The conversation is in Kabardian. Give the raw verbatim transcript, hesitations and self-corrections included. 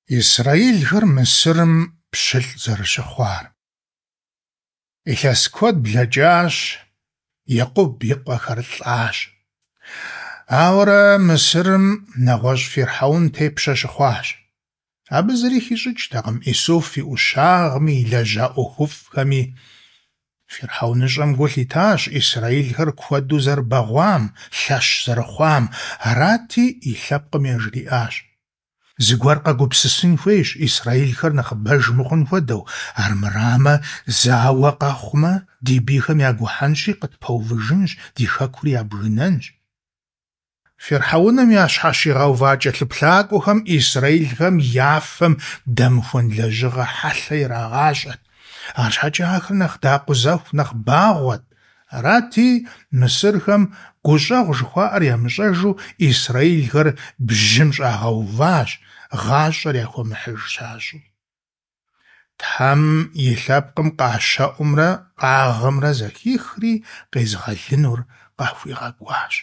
Исраилхэр Мысырым пщылӀ зэрыщыхъуар. Илъэс куэд блэкӀащ, Екъуб и къуэхэр лӀащ. Ауэрэ Мысырым нэгъуэщӀ фирхьэун тепщэ щыхъуащ. Абы зыри хищӀыкӀтэкъым Исуф и Ӏущагъми, илэжьа ӀуэхуфӀхэми. ФирхьэуныщӀэм гу лъитащ исраилхэр куэду зэрыбэгъуам, лъэщ зэрыхъуам, арати, и лъэпкъым яжриӀащ: «Зыгуэр къэгупсысын хуейщ, исраилхэр нэхъыбэж мыхъун хуэдэу, армырамэ, зауэ къэхъумэ, ди бийхэм ягухьэнщи, къытпэувыжынщ, ди хэкури ябгынэнщ». Фирхьэуным ящхьэщигъэува кӀэлъыплъакӀуэхэм исраилхэм я фэм дэмыхуэн лэжьыгъэ хьэлъэ ирагъащӀэт, арщхьэкӀэ ахэр нэхъ дакъузэху нэхъ багъуэт. Арати, мысырхэм гущӀэгъу жыхуаӀэр ямыщӀэжу исраилхэр бжьым щӀагъэуващ, гъащӀэр яхуэмыхьыж щащӀу. Тхьэм и лъэпкъым къащэӀумрэ къагъымрэ зэхихри, къезыгъэлынур къахуигъэкӀуащ.